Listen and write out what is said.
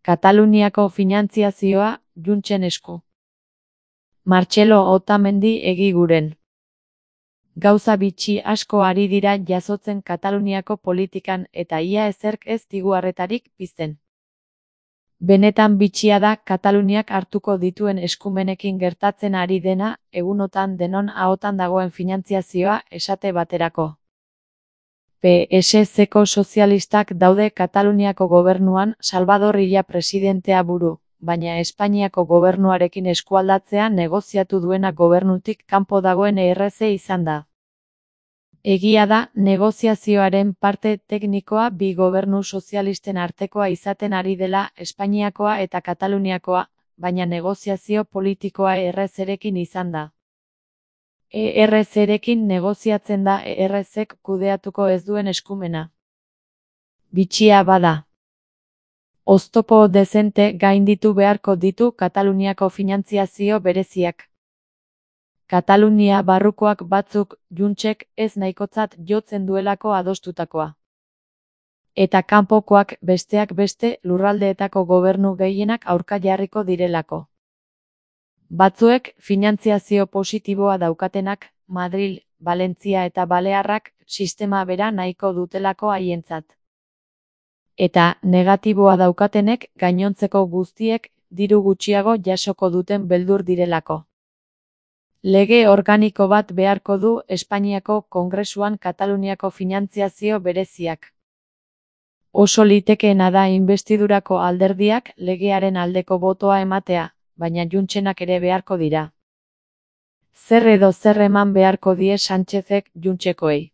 Kataluniako finantziazioa Juntsen esku. Martxelo Otamendi egiguren. Gauza bitxi asko ari dira jasotzen Kataluniako politikan eta ia ezerk ez digu harretarik pizten. Benetan bitxia da Kataluniak hartuko dituen eskumenekin gertatzen ari dena, egunotan denon ahotan dagoen finantziazioa esate baterako. PSZ-ko sozialistak daude Kataluniako gobernuan Salvador Illa presidentea buru, baina Espainiako gobernuarekin eskualdatzea negoziatu duena gobernutik kanpo dagoen ERC izan da. Egia da, negoziazioaren parte teknikoa bi gobernu sozialisten artekoa izaten ari dela Espainiakoa eta Kataluniakoa, baina negoziazio politikoa ERC-rekin izan da. ERC-rekin negoziatzen da ERC-ek kudeatuko ez duen eskumena. Bitxia bada. Oztopo dezente gainditu beharko ditu Kataluniako finantziazio bereziak. Katalunia barrukoak batzuk Juntsek ez nahikotzat jotzen duelako adostutakoa. Eta kanpokoak besteak beste lurraldeetako gobernu gehienak aurka jarriko direlako. Batzuek finantziazio positiboa daukatenak, Madril, Valentzia eta Balearrak sistema bera nahiko dutelako haientzat. Eta negatiboa daukatenek gainontzeko guztiek diru gutxiago jasoko duten beldur direlako. Lege organiko bat beharko du Espainiako Kongresuan Kataluniako finantziazio bereziak. Oso litekeena da inbestidurako alderdiak legearen aldeko botoa ematea, baina Juntsenak ere beharko dira. Zer edo zer eman beharko die Sánchezek Juntsekoei.